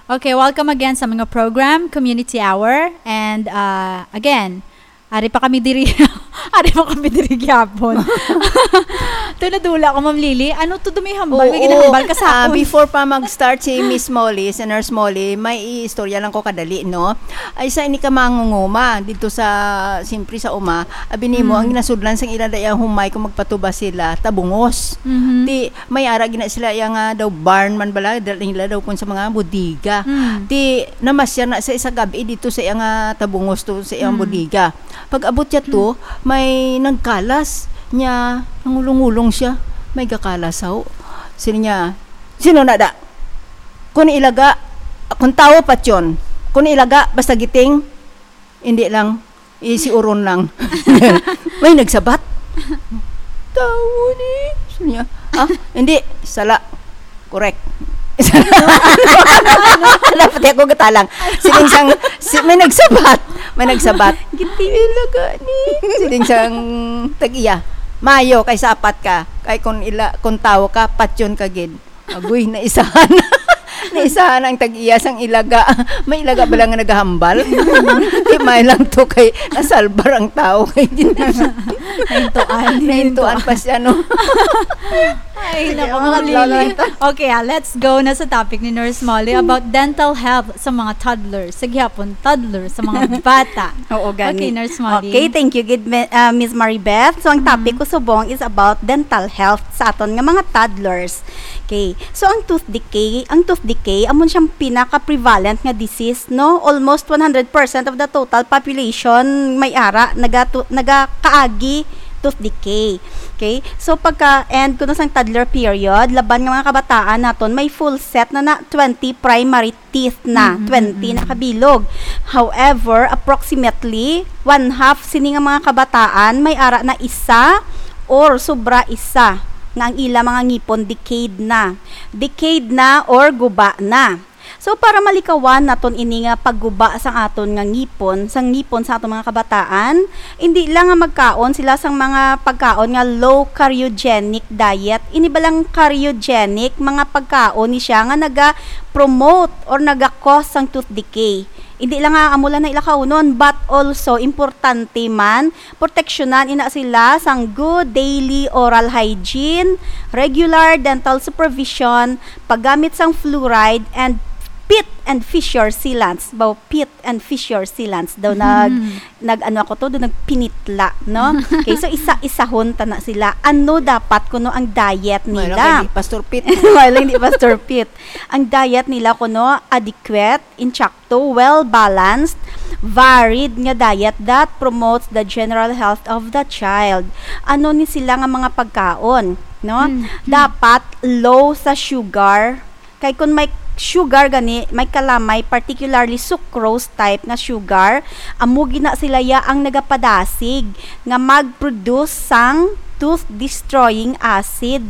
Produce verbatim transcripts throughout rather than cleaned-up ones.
Okay, welcome again sa mga program, Community Hour. And, uh, again, ari pa kami diri. Ari pa kami diri gyapon. Tunadula ko, Ma'am Lily. Ano to, dumihambal? May Oo. ginahambal ka sa Ah, akon. Before pa mag-start si Miss Molly, si Nurse Molly, may iistorya lang ko kadali, no? Ay, sa ini ka mangunguma dito sa, siyempre sa uma, abi nimo, Mm. ang ginasudlan sang ila daya humay kung magpatuba sila, tabungos. Mhm. Ti, may ara gina sila iya nga daw barn man bala, dala nila daw kun sa mga bodega. Mm. Ti, namasya na sa isa gab-i dito sa iya nga tabungos to, sa iyang Mm. bodega. Pag abot niya to, Mm. may nagkalas niya, nangulong-ulong siya. May gakalas, haw. Sino niya? Sino na da? Kung ilaga, kung tawo, patyon. Kung ilaga, basta giting, hindi lang, isiuron lang. May nagsabat. Tawo ni. Sino niya? Ah, hindi. Sala. Correct. Dapat ako gatalang. Siling sang, si, may nagsabat. May nagsabat. Giting. Ilaga ni. Siling sang tag-iya. Mayo, kay sapat ka. Kay kung ila, kung tawo ka, patyon ka gid. Agoy, naisahan. Naisahan ang tag-iya sang ilaga. May ilaga ba lang nga nagahambal? Di may lang to kay nasalbar ang tao. Kay di na siya. Nahintuan. Nahintuan pa siya, no? Ay, Sige, naku, ang Ma'am adlaw Lily. lang ito. Okay, ah, let's go na sa topic ni Nurse Molly about dental health sa mga toddlers. Sa gihapon, toddler, sa mga bata. Oo, gani. Okay, Nurse Molly. Okay, thank you, gid, me-, ah, Miss Maribeth. So, ang topic Mm. ko subong is about dental health sa aton nga mga toddlers. Okay. So, ang tooth decay, ang tooth decay, amo siyang pinaka-prevalent nga disease, no? Almost one hundred percent of the total population may ara, nagatu-, nagakaagi tooth decay. Okay? So, pagka-end kuno sang toddler period, laban nga mga kabataan naton, may full set na na twenty primary teeth na, Mm, mm, twenty mm, na mm. kabilog. However, approximately, one half sini nga mga kabataan may ara na isa or sobra isa nga ang ila mga ngipon decayed na. Decayed na or guba na. So, para malikawan naton ini nga pagguba sang aton nga ngipon, sang ngipon sa aton mga kabataan, indi lang nga magkaon sila sang mga pagkaon nga low cardiogenic diet. Ini balang cardiogenic, mga pagkaon ni siya nga naga-promote or naga-cause sang tooth decay. Indi lang nga amo lang na ila kaunon, but also importante man, proteksyonan ina sila sang good daily oral hygiene, regular dental supervision, paggamit sang fluoride, and pit and fissure sealants. Baw, pit and fissure sealants daw nag, Mm. nag, ano ako to, daw nagpinitla, no? Okay, so isa-isahon ta na sila. Ano dapat kuno ang diet Wala nila? kay di Pastor Pete. Wala, hindi Pastor Pete. Ang diet nila kuno adequate, insakto, well-balanced, varied nga diet that promotes the general health of the child. Ano ni sila nga mga pagkaon, no? Mm, mm. Dapat low sa sugar. Kay kung may sugar gani, may kalamay, particularly sucrose type nga sugar, amo gina sila ya ang nagapadasig nga mag-produce sang tooth-destroying acid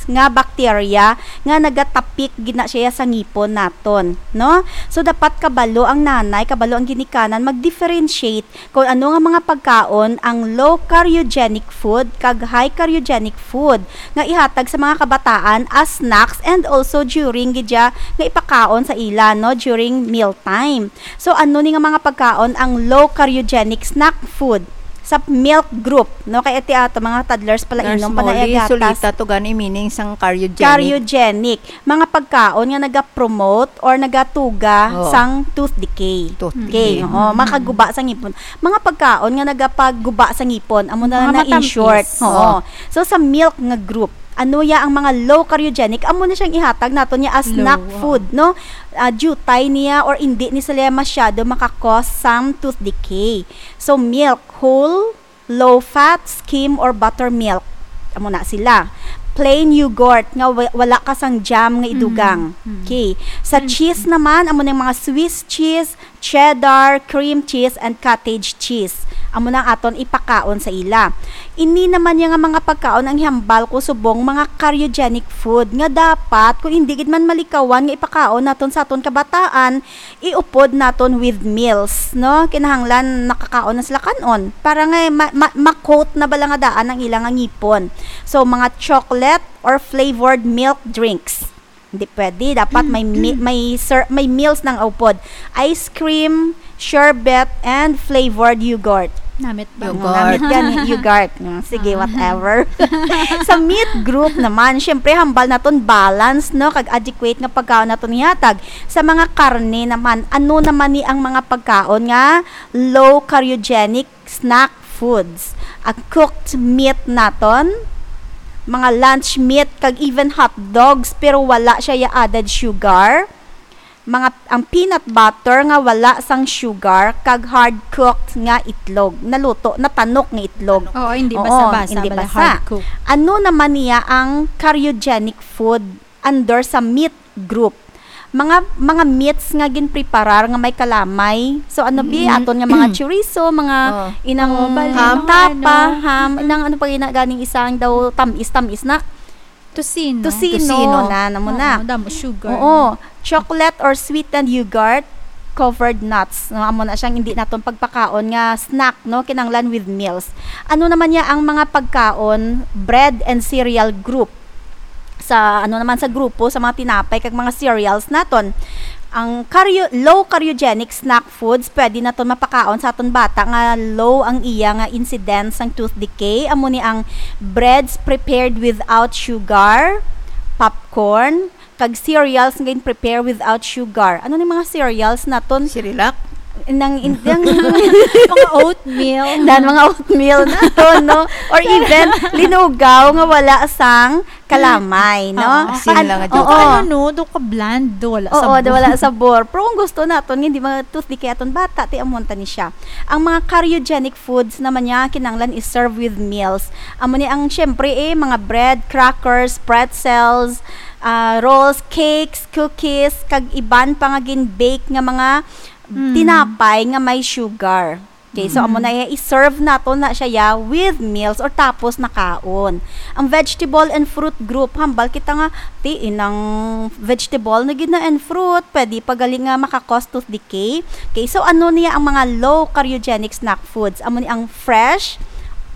nga bacteria nga nagatapik gina siya sa ngipon naton, no? So, dapat kabalo ang nanay, kabalo ang ginikanan, mag-differentiate kung ano nga mga pagkaon ang low cardiogenic food kag high cardiogenic food nga ihatag sa mga kabataan as snacks and also during gidya nga ipakaon sa ila, no, during meal time. So, ano ni nga mga pagkaon ang low cardiogenic snack food sa milk group, no? Kay iti ato mga toddlers pala Nurse inom pa na Molly, iya gatas. Sulita to gani meaning sang cardiogenic. Cardiogenic. Mga pagkaon nga nagapromote or nagatuga Oo. sang tooth decay. Tooth Okay, decay. oo, Mm. makaguba sa ngipon. Mga pagkaon nga nagapagguba sa ngipon, amo na Mga na in short. matamis. Oo. Oo. So, sa milk nga group, ano ya ang mga low cardiogenic? Amo na siyang ihatag naton niya as Low, snack oo. food, no? Ah, jutay niya or indi ni sila masyado makakos sang tooth decay. So, milk, whole, low fat, skim, or buttermilk. Amo na sila. Plain yogurt nga wa-, wala ka sang jam nga idugang. Mm, mm. Okay. Sa Mm. cheese naman, amo na yung mga Swiss cheese, cheddar, cream cheese, and cottage cheese. Amo na ang aton ipakaon sa ila. Ini naman yung nga mga pagkaon ang hambal ko subong mga cardiogenic food nga dapat kung hindi gid man malikawan nga ipakaon naton sa aton kabataan, iupod naton with meals, no? Kinahanglan nakakaon na sila kan-on. Para nga ma-, ma-, ma-coat na bala nga daan ang ilang nga ngipon. So, mga chocolate or flavored milk drinks. Hindi pwede. Dapat may mi-, may ser-, may meals nang upod. Ice cream, sherbet, and flavored yogurt. Namit ba? Yogurt. Namit gani, yogurt. Mm, sige, Ah. whatever. Sa meat group naman, syempre, hambal naton balance, no? Kag adequate nga pagkaon naton ihatag. Sa mga karne naman, ano naman ni ang mga pagkaon nga low cardiogenic snack foods? A cooked meat naton, mga lunch meat, kag even hot dogs, pero wala siya ya added sugar. Mga, ang peanut butter nga wala sang sugar, kag hard cooked nga itlog, naluto, natanok nga itlog. Oo, hindi Oo, basa-basa, hindi bala, basa. Hard cooked. Ano naman niya ang cardiogenic food under sa meat group? Mga, mga meats nga ginpreparar nga may kalamay. So, ano, bi, Mm. aton nga mga chorizo, mga Oh. inang Oh, bali, Ham. mga tapa, ano. ham, Mm. inang ano pa gina-, ganing isang daw tamis-tamis na. Tocino. Tocino Tocino. na, namo na. Oo, damo sugar. Oo. Chocolate or sweetened yogurt, covered nuts. No, amo na siyang hindi naton pagpakaon nga snack, no, kinahanglan with meals. Ano naman niya ang mga pagkaon, bread and cereal group? Sa, ano naman, sa grupo sa mga tinapay kag mga cereals naton. Ang cardio-, low cardiogenic snack foods, pwede naton mapakaon sa aton bata nga low ang iya nga incidence sang tooth decay. Amo ni ang breads prepared without sugar, popcorn, kag cereals nga gin-prepare without sugar. Ano ni mga cereals naton? Cerelac? Nang, in-, nang Mga oatmeal. Dan mga oatmeal naton, no? Or even linugaw nga wala sang kalamay, no? Oo. Asin An-, lang nga oo. Ano, no? Do ka bland, do wala Oo, sabor. do wala sabor. Pero kung gusto naton, hindi mga tooth decay aton bata, ti amon ta ni siya. Ang mga cardiogenic foods naman niya, kinahanglan i-serve with meals. Amo ni ang, syempre, eh, mga bread, crackers, pretzels, ah, rolls, cakes, cookies, kag iban pa nga gin-bake nga mga Mm. tinapay nga may sugar. Okay, so amo Mm. na iya, i-serve naton na siya ya with meals or tapos na kaon. Ang vegetable and fruit group, hambal kita nga, ti, inang vegetable na gid na and fruit, pwede pa gali nga maka-cause tooth decay. Okay, so ano niya ang mga low cardiogenic snack foods? Amo ni ang fresh,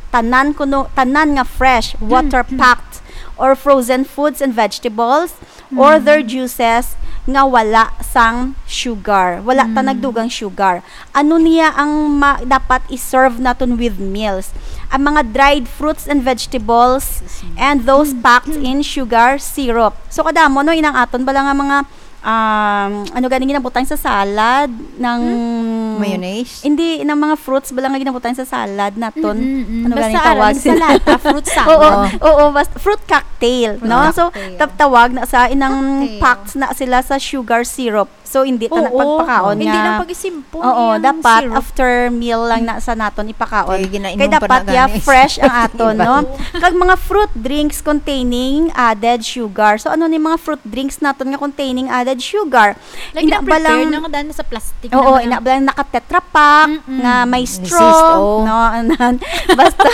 tanan kuno, tanan nga fresh, Mm. water-packed, or frozen foods and vegetables, or Mm. their juices nga wala sang sugar. Wala ta Mm. nagdugang sugar. Ano niya ang ma-, dapat i-serve naton with meals? Ang mga dried fruits and vegetables and those packed in sugar syrup. So, kadamo, no, inang aton bala nga mga, um, ano gani ginabutang sa salad, ng Hmm? Mayonnaise? Hindi, ng mga fruits bala nga ginabutang sa salad naton. Mm, mm, mm. Ano Basta gani aram, tawag? Salata, fruit salad. Oo, Oo. oo, basta fruit cocktail, Fruit no? So, cocktail. tap-, tawag na sa inang Cocktail. packed na sila sa sugar syrup. So, hindi ta na Oo. pagpakaon Hindi nga. lang pag-isimpon Oo, iyang dapat syrup. after meal lang na sa naton ipakaon. Kay ginainom Kay pa dapat na ya gani. fresh ang aton, Iba. no? Kag mga fruit drinks containing added sugar. So, ano ni mga fruit drinks naton nga containing added sugar? Like, Ina ba na-prepare lang na nga daan sa plastic Oo, na mga ina ba lang naka-Tetra Pak Mm-mm. nga may Resist, straw, oh. no? Anan. Basta,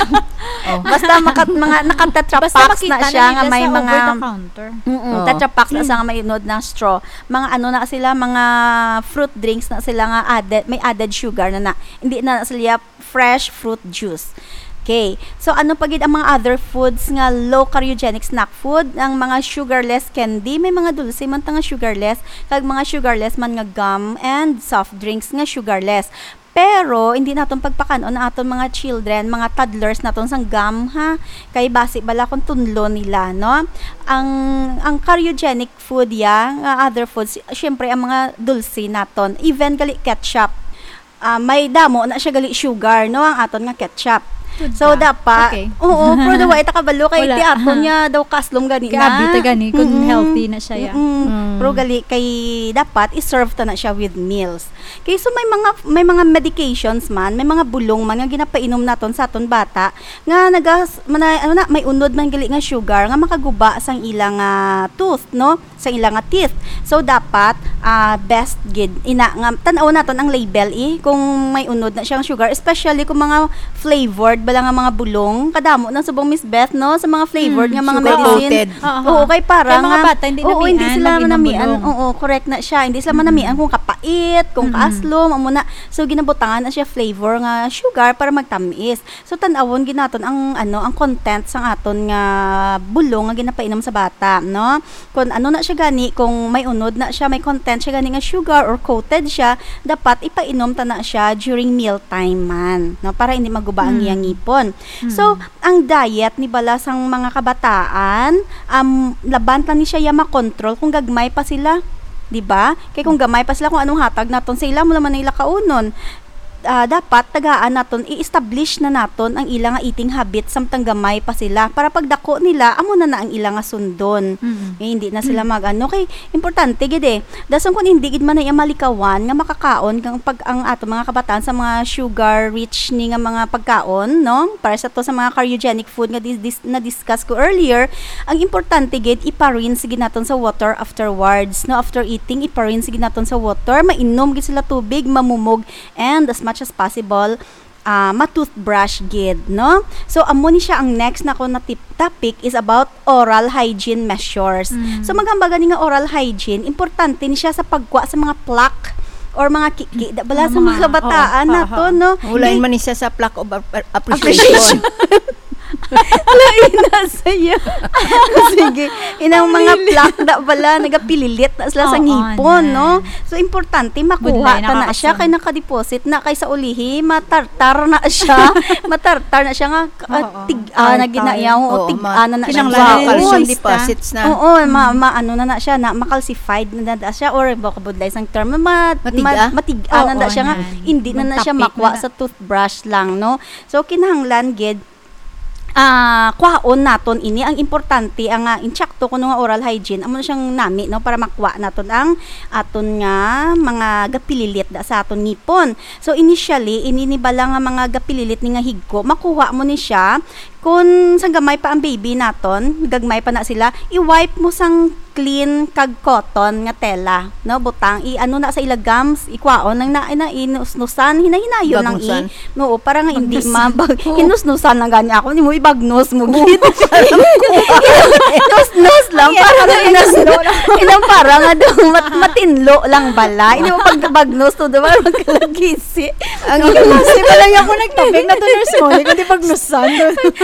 Oh. basta maka-, mga naka-Tetra Basta Paks na makita siya na nga nila may sa mga over the counter. Mm-mm, Oh. Tetra Paks na siya nga may unod ng straw. Mga ano na sila, mga fruit drinks na sila nga added, may added sugar na na. Hindi na sila fresh fruit juice. Okay. So, ano pa gid ang mga other foods nga low cardiogenic snack food? Ang mga sugarless candy, may mga dulce man ta nga sugarless, kag mga sugarless man nga gum and soft drinks nga sugarless. Pero, hindi naton pagpakan-on ang aton mga children, mga toddlers naton sang gum, ha? Kay basi bala kung tunlo nila, no? Ang, ang cardiogenic food ya, nga other foods, syempre, ang mga dulce naton, even gali ketchup. Ah, may damo na siya gali sugar, no, ang aton nga ketchup. Good So, ka. dapat, Okay. oo, pero daw wa ita kabalo kay Wala. ti aton Aha. nga daw kaslom gani Grabe na. ta gani kung Mm-mm. healthy na siya, ya. Mm-mm. Mm. Pero gali kay dapat i-serve ta na siya with meals. Kay so may mga, may mga medications man, may mga bulong man nga ginapainom naton sa aton bata nga nagas-, mana-, ano na, may unod man gali nga sugar nga makaguba sang ilang, ah, tooth, no? Sa ila nga teeth. So, dapat, ah, best gid ina nga tan-aw naton ang label, eh, kung may unod na siyang sugar, especially kung mga flavored pala nga mga bulong, kadamo na subong, Miss Beth, no, sa mga flavored Mm, nga mga sugar medicine. Coated. Oo, oo. Kay para Kay mga nga, bata, hindi oo, namian, hindi sila lagi ng manamian. Bulong. Oo, correct na siya. Hindi sila Mm. manamian kung kapait, kung Mm. kaaslom, amo na. So, ginabutangan na siya flavor nga sugar para magtamis. So, tan-awon gid naton ang, ano, ang content sang aton nga bulong nga ginapainom sa bata, no? Kung ano na siya gani, kung may unod na siya, may content siya gani nga sugar or coated siya, dapat ipainom ta na siya during meal time man, no? Para hindi maguba ang Mm. iyang ngipon. Mm. So, ang diet ni bala sang mga kabataan, um, laban lang ni siya ya makontrol kung gagmay pa sila, di ba? Kay kung gamay pa sila, kung anong hatag naton sa ila, mo naman ang ila kaunon. Ah, dapat tagaan naton, i-establish na naton ang ila nga eating habit samtang gamay pa sila, para pagdako nila, amo na na ang ila nga sundon. Mm. Eh, hindi na sila Mm. mag-ano. Kay, importante gid eh. Dason kung hindi gid man na iya malikawan nga makakaon kang pag, ang ato mga kabataan sa mga sugar rich ni nga mga pagkaon, no? Para sa to sa mga cardiogenic food nga dis-, dis-, na-discuss ko earlier, ang importante gid, ipa-rinse gid naton sa water afterwards, no? After eating, ipa-rinse gid naton sa water. Mainom gid sila tubig, mamumog, and as much as possible, ah, ma-toothbrush gid, no? So, amo ni siya ang next na ko na tip-, topic is about oral hygiene measures. Mm. So, maghambal gani nga oral hygiene, importante ni siya sa pagkuha sa mga plaque or mga kiki, da-, bala Mga sa mga mga, kabataan oo, nato, oo. no? Ulain Di- man ni siya sa plaque of ap-, appreciation. Appreciation. Lain na saya. Sige. Inang mga Pamili. plaque da bala, nagapililit na sila sa Oo, ngipon, na. no? So, importante, makuha Punlay, ta na siya, nakakasam. kay nakadeposit na, kay sa ulihi, matartar na siya. Matartar na siya nga, ah, Oo, tig-, ah, na tartar. ginayaw, Oo, tig-, ma-, ah, na, na siya. kinahanglan Wow. calcium Moist, ah. deposits na. Oo, ma-, Mm. ma-, ano na na siya, na, ma-calcified na na siya, or baka budlay sang term, ma-, Matig-a? ma-, matig-a na na Oo, siya nga, yan. hindi na na siya Magtapik makuha na na. sa toothbrush lang, no? So, kinahanglan gid, ah, kwaon naton ini. Ang importante, ang, ah, insakto kuno nga oral hygiene, amo na siyang nami, no, para makuha naton ang aton nga mga gapililit da sa aton ngipon. So, initially, ini ni bala nga mga gapililit ni nga higko, makuha mo ni siya kun sang gamay pa ang baby naton, gagmay pa na sila, i-wipe mo sang clean kag cotton nga tela, no? Butang, i-ano na sa ila gums, ikwaon lang na, na inusnusan, hinay-hinayon lang i-, Bagnus-an. Oo, para nga hindi Bagnus-an. mabag-, Oo. hinusnusan lang gani ako, hindi mo ibagnus mo, Oo. gid. Nus-nus lang, Ay, para ano, nga inas-, ano, ano? inang para nga daw mat-, matinlo lang bala. Hindi mo pag bagnus to, diba? Magkalagisi. Ang Kasi pala yung ako nagtapik na to, nurse mo, hindi ko di bagnusan.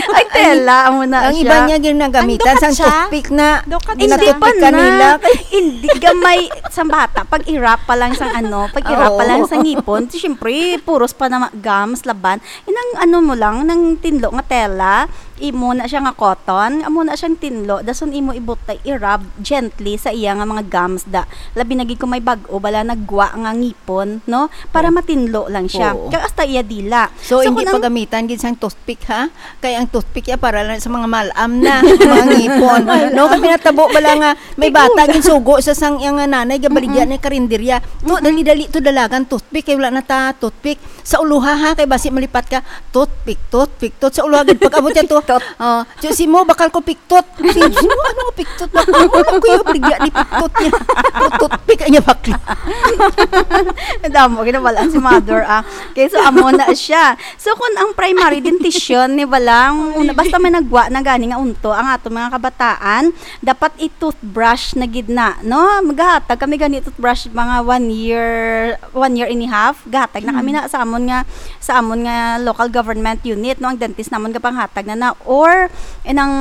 Ay, tela, amo na Ang siya. iba niya ginagamitan, Ang sang dukat siya? toothpick na Dukat siya. Hindi ginatoothpick pa na. kanila. Hindi, gamay, sa bata, pag irap pa lang sang ano, pag irap pa lang Oo. sa ngipon, siyempre, puros pa na ma-, gums, laban. Inang ano mo lang, nang tinlo nga tela, imo na siya nga cotton, amo na siyang tinlo, dason imo ibutay, i-rub gently sa iya nga mga gums da. Labi na gid kung may bag-o, bala nagwa nga ngipon, no? Para Oo. matinlo lang siya. Oo. Kag hasta iya dila. So, So, hindi kung ang pagamitan gid sang toothpick, ha? Kay ang toothpick ya para lang sa mga malam na, mga ngipon. No, kami natabo bala nga may Tigulang. bata ginsugo sa sang iyang nanay, gabaligya Mm-mm. na karinderya. To, Mm-mm. dali-dali to dalagan toothpick, kay wala na ta toothpick. Sa uluha, ha, kay basi malipat ka, toothpick, toothpick, tooth. Sa uluha, gid, pag-abot niya to, Tot. oh, so, si mo, bakal ko piktot. Si mo, ano nga piktot? Bakal mo, ano ko yung baligya ni piktot niya? Toothpick, ay niya bakla. Damo, ginabalaan si mother, ah. Okay, so, amo na siya. So, kung ang primary dentition ni balang, una, basta may nagwa na gani nga unto, ang ato mga kabataan, dapat i-toothbrush na gid na, no? Magahatag kami gani toothbrush mga one year, one year and a half. Gahatag na kami Mm. na sa amon nga, sa amon nga local government unit, no? Ang dentist namon gapanghatag na na. Or, inang,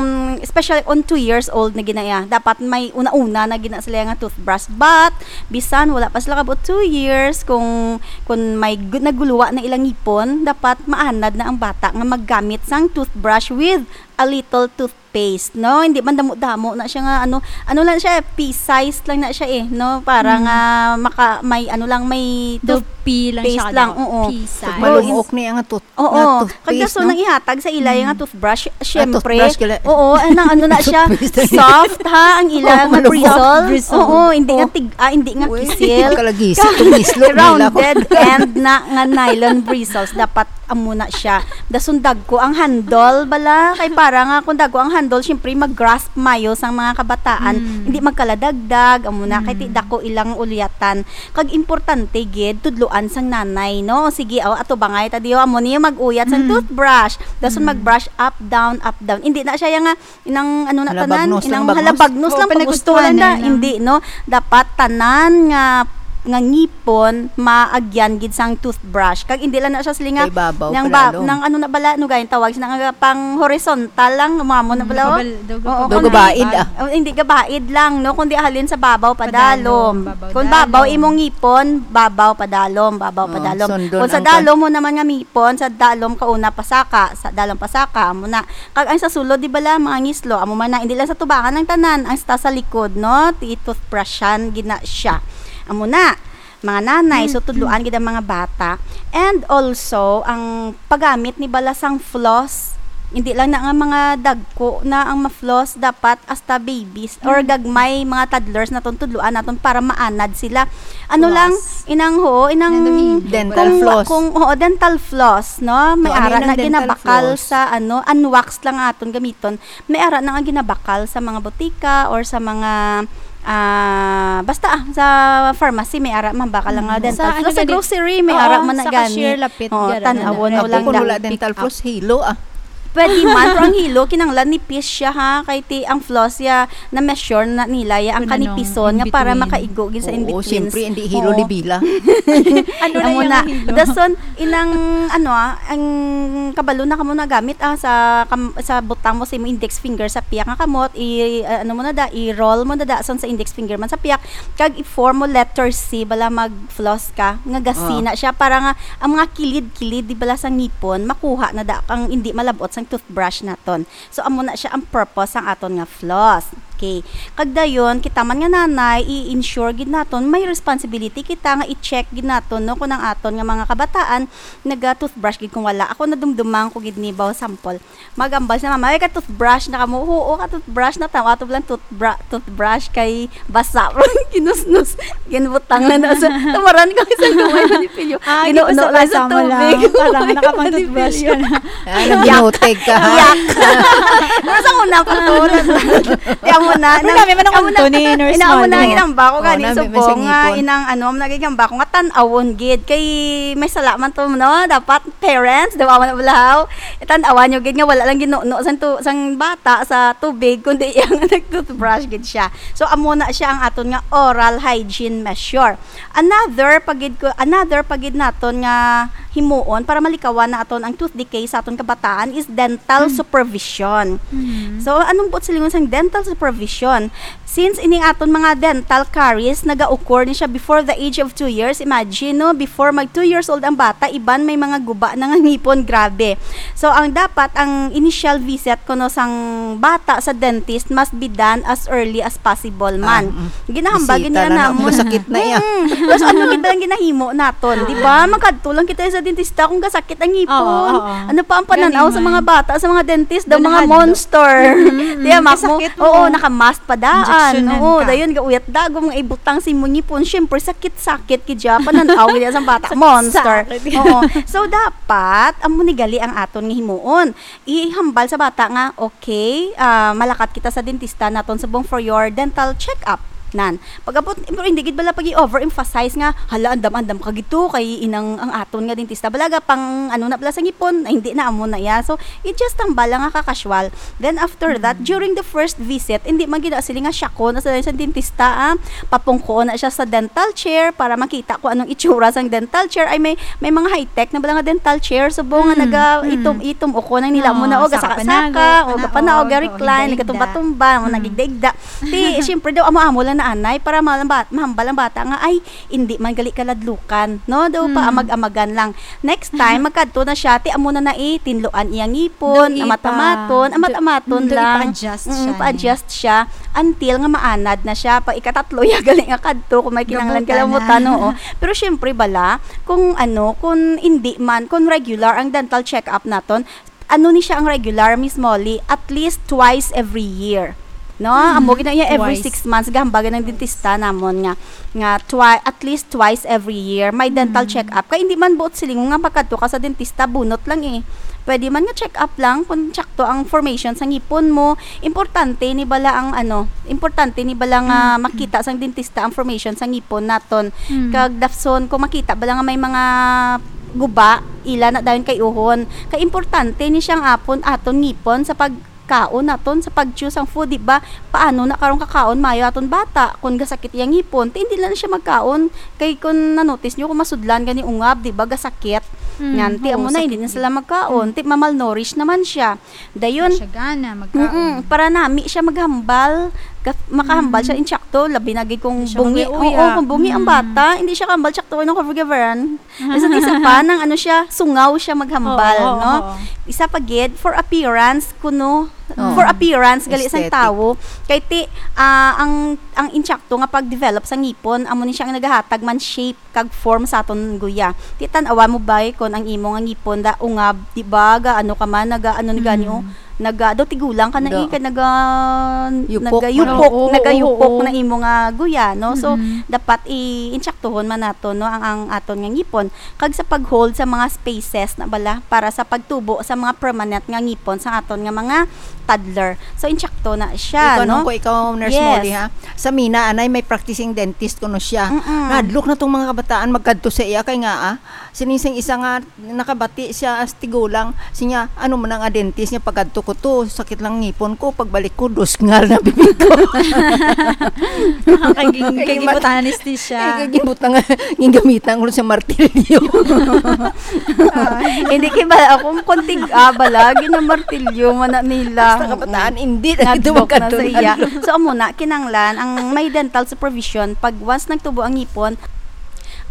especially on two years old na ginaya. Dapat may una-una na gina sila nga toothbrush. But, bisan wala pa sila kabot two years, kung, kung may gu-, naguluwa na ilang ngipon, dapat maanad na ang bata nga maggamit sang toothbrush with a little toothpaste, no? Hindi man damo-damo na siya nga, ano, ano lang siya, pea size lang na siya eh, no? Para Mm. nga maka-, may, ano lang, may Daw tooth-, pea lang siya, paste lang, daw. oo. Pea size. Malumook niya nga tooth-, Oo. nga toothpaste, Kag dason no? nang ihatag sa ila yung Mm. nga toothbrush, Ah, syempre. toothbrush kala. Oo, ano, ano na siya, Toothpaste. soft, ha, ang ila Oh, nga malumook. bristle. Bristle. Oo, hindi nga Oh. tig-, ah, hindi nga Uy, kisil. kalagisi, tumislo, nila ko. Rounded end na nga nylon bristles. Dapat Amo na siya. Dason dagko ang handle bala. Kay para nga kung dagko ang handle, syempre mag-grasp mayo sang mga kabataan. Mm. Hindi magkaladagdag. Amo na. Kay ti Mm. dako ilang ulyatan. Kag importante gid, tudloan sang nanay, no? Sige, oh, ato bangay ta diyo. Amo niyo mag-uyat sang Mm. toothbrush. Dason Mm. mag-brush up, down, up, down. Hindi na siya yang nga, inang ano na tanan, Halabagnos lang inang pag-us-, halabagnos Oo, lang pag-usto lang na, pinag-ustuhan na. Hindi, no? Dapat tanan nga, nga ngipon, maagyan gid sang toothbrush. Kag hindi lang na siya siling nga, Kay babaw nang pa ba-, lalo. nang ano na bala, ano gayang tawag, sina nga pang horizontal lang, umamo na Mm, bala, oh. pabal-, daw Oo, kapabal-, kung Daw gabaid, ah. Oh, hindi gabaid lang, no? Kundi halin sa babaw, Padalom, padalom. babaw, Kung babaw dalom. imong ngipon, babaw, padalom, babaw, Oh, padalom. sundon Kung sa ang pag- dalom mo naman nga ngipon, sa dalom kauna pasaka, sa dalom pasaka, amo na. Kag ang sa sulod, di bala, mga ngislo, amo man na, hindi lang sa tubangan ang tanan, ang sa, sa likod, no? Ti toothbrushan, gina siya. Amo na, mga nanay, so Mm, tudloan mm. gid ang mga bata. And also, ang paggamit ni bala sang floss, hindi lang na nga mga dagko na ang ma-floss, dapat hasta babies or Mm. gagmay, mga toddlers naton, tudloan naton para maanad sila. Ano lang, Floss. inang, ho, inang Nandun, Dental kung, floss. kung, oo, dental floss, no? May Oh, ano ara yun ang na dental ginabakal floss? sa, ano, unwaxed lang aton gamiton. May ara na nga ginabakal sa mga botika or sa mga, ah, basta, ah, sa pharmacy, may ara man bakal lang nga Mm. dental Sa, ano floss. Sa gani? grocery, may Oo, ara man na sa cashier gani. lapit, Oo, gara na tan-awon na. mo Ako lang kung da. wala dental Pick up. floss, hilo, ah. Pwede man, pero ang hilo, kinanglan nipis siya, ha? Kay ti, ang floss, ya, na-measure na nila, ya, ang Kung anong kanipison in nga para between. makaigo gid sa in Oo, between. siyempre, hindi hilo Oo. libila. Ano na Amo yung na. hilo? Dason, inang, ano, ah, ang kabalo na kamo nagamit, ah, sa kam-, sa butang mo sa imong index finger sa piyak nga kamot, i-, ah, ano mo na da, i-roll mo na da, son sa index finger man sa piyak, kag i-form mo letter C, bala mag-floss ka, nga gasi Ah. na siya, para nga, ang mga kilid-kilid, di bala sa ngipon, makuha na da, kang hindi malabot sang toothbrush naton. So, amo na siya ang purpose sang aton nga floss. Okay. Kag dayon, kita man nga nanay, i-ensure gid naton, may responsibility kita nga i-check gid naton, no, kung ang aton nga mga kabataan naga-toothbrush gid kung wala. Ako, nadumduman ko gid ni, baw, sample. Magambal sa mama, "Ay, ka-toothbrush na kamo?" "Oo, ka-toothbrush na." Tama to lang toothbra-, toothbrush kay basa. Kinusnos. Ginbutang lang na sa, tumaran ko sa gamay ni Pilyo. Ah, Ginuuno lang sa gipasabasa mo lang. Tubig. Parang nakapang-toothbrush ka na. Ah, nagbinutig ka, ha? Yak. Pero sa una pa to, na-, kaya mo na, Pero na-, nami man ang kaya mo na, unto ni Nurse ina mo na, Molly. Ginamba ko Oh, gani, nami man subong sa nga, ngipon. Inang ano, nagigamba ko nga tan-awon gid. Kay may sala man to, no? Dapat parents, daw, awan na balahaw. Tan-awan nyo gid nga wala lang ginuno sang tu-, sang bata sa tubig, kundi ang nag-toothbrush gid siya. So, amo na siya ang aton nga oral hygiene measure. Another pa gid ko, another pa gid naton nga himuon para malikawan naton ang tooth decay sa aton kabataan is dental Hmm. supervision. Hmm. So, anong buot silingon sang dental supervision? Since ining aton mga dental caries naga-occur ni siya before the age of two years, imagine, no, before mag two years old ang bata, iban may mga guba na nga ngipon, grabe. So, ang dapat, ang initial visit kuno sang bata sa dentist must be done as early as possible man. Ah, mm. Ginahambal Bisita gid nila na, namon. Masakit na iya. Mm. Tapos ano gid ba ang ginahimo naton, di ba? Magkadto lang kita sa dentista kung kasakit ang ngipon. Oo, oo. Ano pa ang pananaw Gani sa man. Mga bata, sa mga dentist, daw mga Ganahadlok. Monster. Mm, mm. Di ba, Mak-, mo? Kasakit mo. Oo, naka-mask pa daan. Injection-an Oo, ka. Dayon, gauyat dagom nga ibutang sa imong ngipon. Siyempre, sakit-sakit gid siya. Pananaw niya sa bata. Sakit-sakit. Monster. Oo. So, dapat, amo ni gali ang aton nga himuon. Ihambal sa bata nga, okay, ah, malakat kita sa dentista naton subong for your dental check-up. Nan. Pag-abot, pero hindi gid bala pag-i-overemphasize nga, "Hala, andam-andam ka gid to, kay inang ang aton nga dentista." Balaga pang, ano na pala sa ngipon, ay, hindi na amo na iya. So, i-just tambal lang nga ka-casual. Then after that, Mm. during the first visit, hindi man gid na sila nga siya ko na sa, sa dentista, ah. Papungko na siya sa dental chair para makita kung anong itsura sang dental chair. Ay, may, may mga high-tech na bala nga dental chair. Subong nga Mm, naga mm. itom-itom o ko nang nila Oo, mo na, o, saka gasaka-saka, panaog, o, panaog, kapanaog, o, recline, higda-higda. Nagatumba-tumba, o, Mm. nagigda-igda. Ti, siyempre daw, amo-amo lang na anay para malam-, mahambal ang bata nga, ay, hindi man gali kaladlukan, no? Daw pa Mm. amag-amagan lang. Next time, magkadto na siya, ti amo na na, eh, tinloan iyang ngipon, Daw ipa-, amat-amaton, amat-amaton daw lang. ipa-adjust Mm, siya, pa-adjust siya until nga maanad na siya. Pag ikatatlo, ya gali nga kadto, kung may kinahanglan Gabutan na. kalamutan, oo. Pero syempre, bala, kung ano, kung hindi man, kung regular ang dental check-up naton, ano ni siya ang regular, Miss Molly? At least twice every year. No, amo gid na iya, every six months gahambal ang dentista namon nga, nga twi-, at least twice every year may dental check-up. Kay hindi man buot siling nga pagkadto ka sa dentista, bunot lang eh. Pwede man nga check-up lang kung tsakto ang formation sa ngipon mo. Importante ni bala ang ano, importante ni bala nga makita sang dentista ang formation sa ngipon naton. Kag dafson kung makita bala nga may mga guba, ila na dayon kay uhon. Kay importante ni siyang apon aton ngipon sa pag kaon naton sa pag-chew sang food, di ba? Paano na karon kakaon mayo aton bata kung gasakit iya ngipon? Ti hindi lang siya magkaon. Kay kung na-notice nyo, kung masudlan gani ungab, di ba, gasakit. Mm, ngan ti amo na, hindi na sila magkaon. Mm. Ti mamalnourish naman siya. Dayon, siya gana magkaon. Mm-mm, para nami siya maghambal. Ga-, makahambal siya, mm, insakto, labi na gid kung bungi. Hindi siya mag-uya. Oo, kung bungi ang bata, hindi siya kahambal, sakto, ano, cover-coveran. Bisan isa pa, nang ano siya, sungaw siya maghambal, no? Oo, oo. Isa pa gid, for appearance, kuno, for appearance, gali sang tawo. Kay ti, ah, ang, ang insakto nga pag-develop sa ngipon, amo ni siya ang nagahatag man shape kag form sa aton guya. Ti tan-awa mo ba, eh, kon ang imo nga ngipon da ungab, di ba? Ga, ano ka man, naga, ano ni gani, oh? Naga, daw tigulang ka na, eh, kay naga, nagayupok, nagayupok na imo nga guya, no? So, dapat i-, insaktuhon man nato, no, ang, ang aton nga ngipon. Kag sa pag-hold sa mga spaces na bala para sa pagtubo sa mga permanent nga ngipon sa aton nga mga toddler. So, insakto na siya, no? Ikaw, nung ko, ikaw, Nurse Molly, ha? Sa Mina, anay, may practicing dentist kuno siya. Mm-mm. Nahadlok na tong mga kabataan magkadto sa iya kay nga, ah, sining sing isa nga nakabati siya as tigulang. Siya, ano man ang dentist niya, pagkadto ko to, sakit lang ngipon ko, pagbalik ko, dusngal na bibig ko. Kay gin-, kay gibutang anesthesia. Eh, kay gibutang, gingamitan ko sa martilyo. Hindi kay bala ako, kontig, ah, bala, ginamartilyo man na nila. Basta kabataan, hindi na ito magkadto sa iya. So, amo na, kinanglan, ang may dental supervision, pag once nagtubo ang ngipon,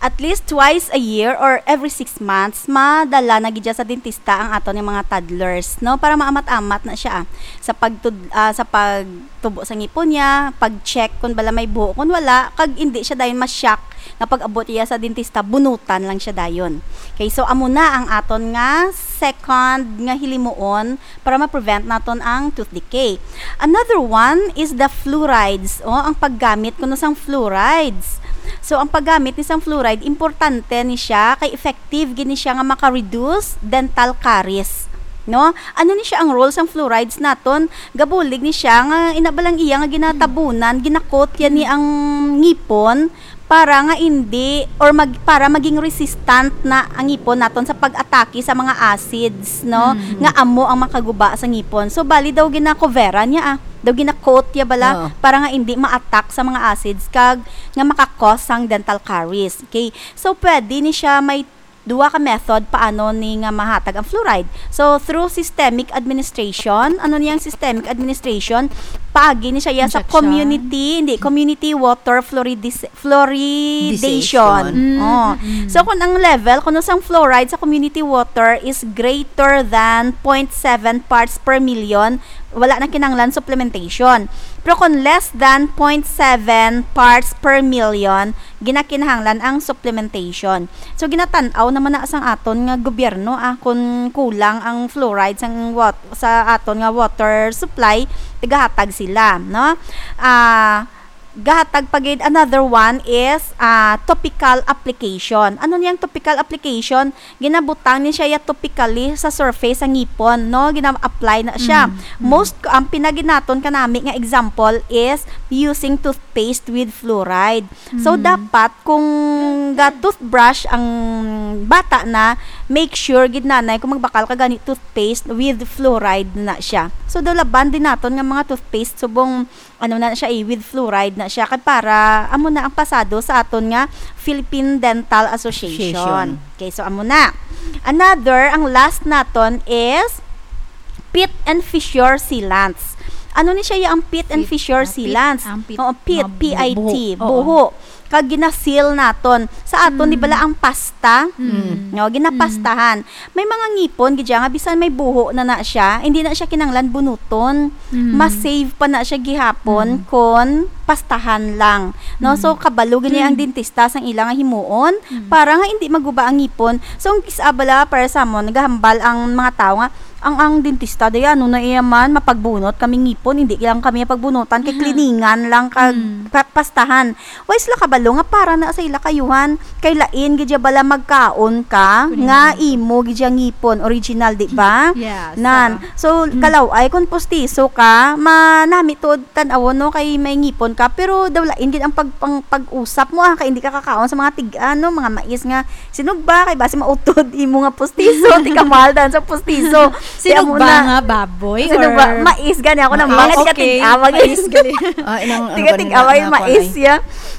at least twice a year or every six months, madala na gid siya sa dentista ang aton nga mga toddlers, no? Para maamat-amat na siya, ah, sa pagtud-, ah, sa pagtubo sa ngipon niya, pag-check kung bala may buho, kung wala, kag hindi siya dayon ma-shock nga pag-abot iya sa dentista, bunutan lang siya dayon. Okay, so amo na ang aton nga second nga hilimuon para ma-prevent naton ang tooth decay. Another one is the fluorides, o ang paggamit kuno sang fluorides. So, ang paggamit ni sang fluoride, importante ni siya, kay effective gid ni siya nga maka-reduce dental caries. No? Ano ni siya ang role sang fluorides naton? Gabulig ni siya nga ina ba lang iya nga ginatabunan, gina-coat yan ni ang ngipon, para nga hindi or mag-, para maging resistant na ang ngipon naton sa pag-atake sa mga acids, no, mm, nga amo ang makaguba sa ngipon. So, bali daw gina-coveran niya, ah. Daw gina-coat niya bala, oo, para nga hindi ma-attack sa mga acids kag nga maka-cause sang dental caries. Okay? So, pwede ni siya may duwa ka method paano ni nga mahatag ang fluoride. So, through systemic administration. Ano niyang systemic administration? Paagi ni siya iya sa, injection, community, hindi, community water fluoridis-, fluoridation. Disation. Mm, oh, mm. So, kung ang level kuno sang fluoride sa community water is greater than point seven parts per million, wala na kinahanglan supplementation. Pero kung less than point seven parts per million, ginakinahanglan ang supplementation. So, ginatan-aw naman na sang aton nga gobyerno, ah, kung kulang ang fluoride sang wat-, sa aton nga water supply, tigahatag sila, no? Ah, gahatag pa gid, another one is, ah, topical application. Ano niyang topical application? Ginabutang ni siya ya topically sa surface sa ngipon, no? Gina-apply na siya. Mm, mm. Most, ang pinaginaton kanami nga example is using toothpaste with fluoride. So, mm, dapat kung ga-toothbrush ang bata na, make sure gid nanay kung magbakal ka gani toothpaste with fluoride na siya. So, daw laban din naton nga mga toothpaste subong ano na siya, eh, with fluoride na siya. Kay para, amo na ang pasado sa aton nga Philippine Dental Association. Association. Okay, so amo na. Another, ang last naton is pit and fissure sealants. Ano ni siya yung pit and fissure sealants? Pit, ah, pit, ang pit. Oo, pit, mga bu-, P I T, buho. Oo. Kag gina-seal naton. Sa aton, di bala ang pasta? Mm. No, ginapastahan. Mm. May mga ngipon gid siya nga bisan may buho na na siya, hindi na siya kinanglan bunuton. Mm. Mas safe pa na siya gihapon, mm, kon pastahan lang. No? Mm. So, kabalo gid niya ang, mm, dentista sang ila nga himuon, mm, para nga hindi maguba ang ngipon. So, ang kis-a bala para sa amon, nagahambal ang mga tawo nga, Ang, ang dentista, day, ano na iya man, mapagbunot kami ngipon, hindi lang kami pagbunutan, kay Mhm. cleaningan lang kag Mm. pa-, pastahan. Why sila kabalo nga para na sa ila kayuhan, kay lain gid ya bala magkaon ka, Kunin nga mo. imo gid ya ngipon, original, di ba? Yes, Nan. oo. So, Mm. kalaw-ay, kung pustiso ka, manami to tan-awon, no, kay may ngipon ka, pero daw lain gid ang pag-, pang-, pag-usap mo, ah, kay hindi ka kakaon sa mga tig-, ano, mga mais nga sinugba, kay basi mautod imo nga pustiso, ti kamahal dan sa pustiso. Ti amo Sinugba na. nga baboy Sinugba, or mais gani ako na Mais. Mga Ah, okay. tiga-tig-awag. Mais gali. Ah, inang, ano Tiga-tig-awag, na ako, mais, ay. ya.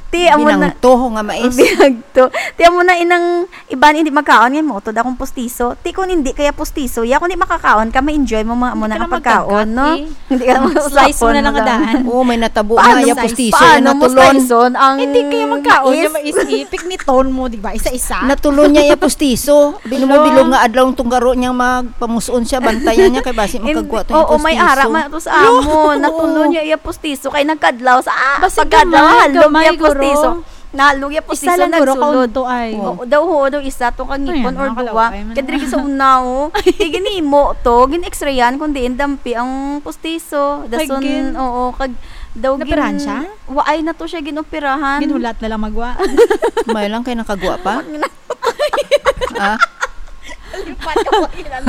Ti amo na. Binangto nga mais. Binangto. Ti amo na inang iban hindi magkaon nga mautod akong pustiso. Ti kung hindi kaya pustiso, ya kung di makakaon ka, ma-enjoy mo mga amo Hindi na ka nga na pagkaon, magdagat, no? eh. Hindi ka na Slice mo na lang magdagat. kadaan. Oo, may natabo Paano nga iya slice? pustiso, Paano mo natulon. slice-on ang Hindi kaya magkaon, mais? yung mais, eh, pikniton mo, di ba? Isa-isa. Natulon niya iya pustiso. Bilog mo, Hello? bilog nga adlaw ang tunggaro niya, magpamuson siya, bantayan niya, kay basi Hindi, makagwa to yung oo, may pustiso. ara man to sa Hello? amon. Natulon Oo. niya iya pustiso, kay nagkadlaw sa, ah, Basi pagkadlaw, gamay, halog gamay, niya guro. pustiso. Nalog ya Isa pustiso, lang, guro, nagsulod. kaunto ay. Oo, daw, oo, daw, isa to ka Ay, ngipon or ano, duwa. kalaw, ay, man. Kadiri sa una, oh. Di ginimo to, gin-x-rayan, kung diin dampi ang pustiso. Ay, Dason, gin-, oo, kag, daw, gin-, Napirahan siya? Waay na to siya, ginoperahan. Ginhulat na lang magwa. May lang kay nakagwa pa? Ah? Lipat ka pa, ginano.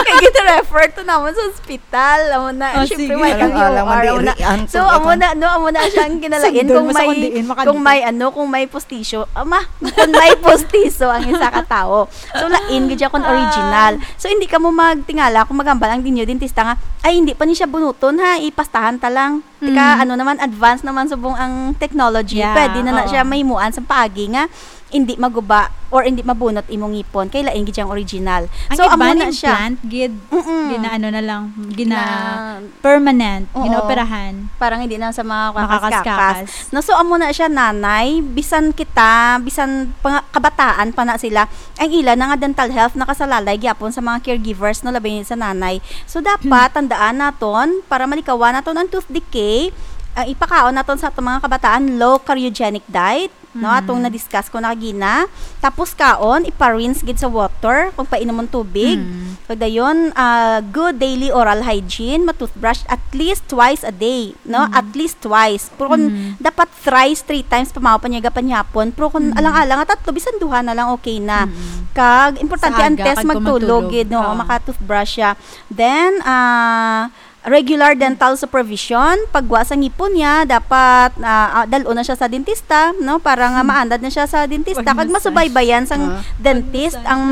Kay gina-refer to naman sa ospital. Amo na, Oh, syempre, sige. may kang Alang-alang U R, amo na. madirian So, ko, amo ako. na, no, amo na siya ang kinalain Sundon kung mo sa may, kung diin, makadto. kung may, ano, kung may postisyo. Ama, kung may postiso ang isa ka tao. So, lain gid siya kung Ah. original. So, hindi ka mo magtingala kung maghambal ang dinyo dentista nga, "Ay, hindi pa ni siya bunuton, ha, ipastahan ta lang." Tika, Mm. ano naman, advance naman subong ang technology. Yeah, Pwede na na oo. siya mahimuan sa paagi nga hindi maguba or hindi mabunot imong ngipon, kay lain gid siyang original. Ang So, iba amo na na siya. implant, gid, Mm-mm. gina-, ano na lang, gina-, Na, permanent, oo. ginaoperahan. Parang hindi na sa mga Makakaskakas. kakas-kakas. No, so, amo na siya, nanay, bisan kita, bisan panga-, kabataan pa na sila, ang ila na nga dental health nakasalalay gyapon sa mga caregivers, no, labi sa nanay. So, dapat Hmm. tandaan naton, para malikawan naton ang tooth decay, ah, ipakaon naton sa atong mga kabataan, low cariogenic diet, no, Hmm. atong na-discuss ko na kagina. Tapos kaon, ipa-rinse gid sa water, kung painomon tubig. Hmm. Kag dayon, ah, good daily oral hygiene, ma-toothbrush at least twice a day, no? Hmm. At least twice. Pero kung Hmm. dapat thrice, three times, pamaw pa niya gapanyapon. Pero kung Mm. alang-alang nga tatlo, bisan duha na lang, okay na. Mm. Kag, importante Sa ang aga, test kag magtulog, kumantulog. gid, no? Oo. Maka-toothbrush siya. Then, ah, regular dental supervision, pagwa sa ngipon niya, dapat, ah, ah, dal-on na siya sa dentista, no? Para nga Hmm. maandad na siya sa dentista. Kag Pag-massage. masubaybayan sang Ah. dentist Pag-massage. ang,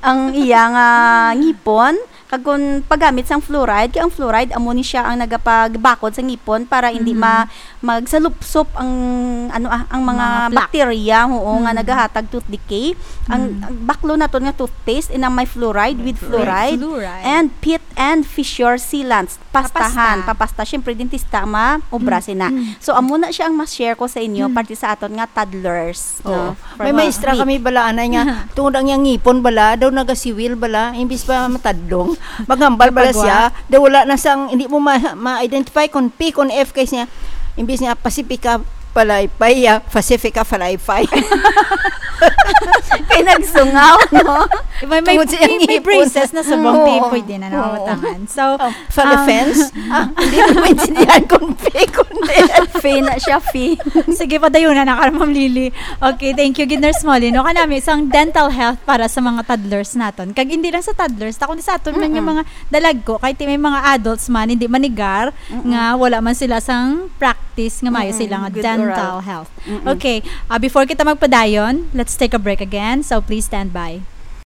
ang iya nga ngipon. Kag kung paggamit sang fluoride, kay ang fluoride amo ni siya ang nagapagbakod sa ngipon para hindi Mm. ma-, magsalupsop ang, ano, ah, ang mga Mga plaque. bakterya, oo, nga Mm. nagahatag tooth decay. Ang, Mm. ang baklo naton nga toothpaste, inang may fluoride, with Fluoride. fluoride, Fluoride. and pit and fissure sealants. Pastahan, Papasta. papasta. Siyempre, dentista ang maobra Mm. sina. Mm. So, amo na siya ang mas share ko sa inyo, Mm. parte sa aton nga toddlers, Oo. no? May From, ah, maestra meet. kami bala, anay nga, tungod ang iyang ngipon bala, daw nagasiwil bala, imbis pa matadlong, maghambal bala Pagwa. siya, daw wala na sang, hindi mo ma-, ma-identify kung P, kung F, kay siya, imbis nga Pacifica Palaypay, ah, Pacifica Falaypay. Kay nagsungaw, no? May, may, Tungod sa iyang may, may ngipon. braces na subong, Oo. di pwede na Oo. nakabatangan. So, Oh, Fala um, fence? Ah, hindi ko maintindihan kung fake, kung Fe na siya, Fe. Sige, padayon na, naka, Ma'am Lily. Okay, thank you, gid, Nurse Molly. No, kanami, sang dental health para sa mga toddlers naton. Kag hindi lang sa toddlers, ta kundi sa aton man nga Mm-mm. mga dalagko, kahit may mga adults man, hindi manigar, Mm-mm. nga wala man sila sang practice nga maayo Mm-mm. sila nga Good dental oral. health. Mm-mm. Okay, ah, before kita magpadayon, let's take a break again. So, please stand by.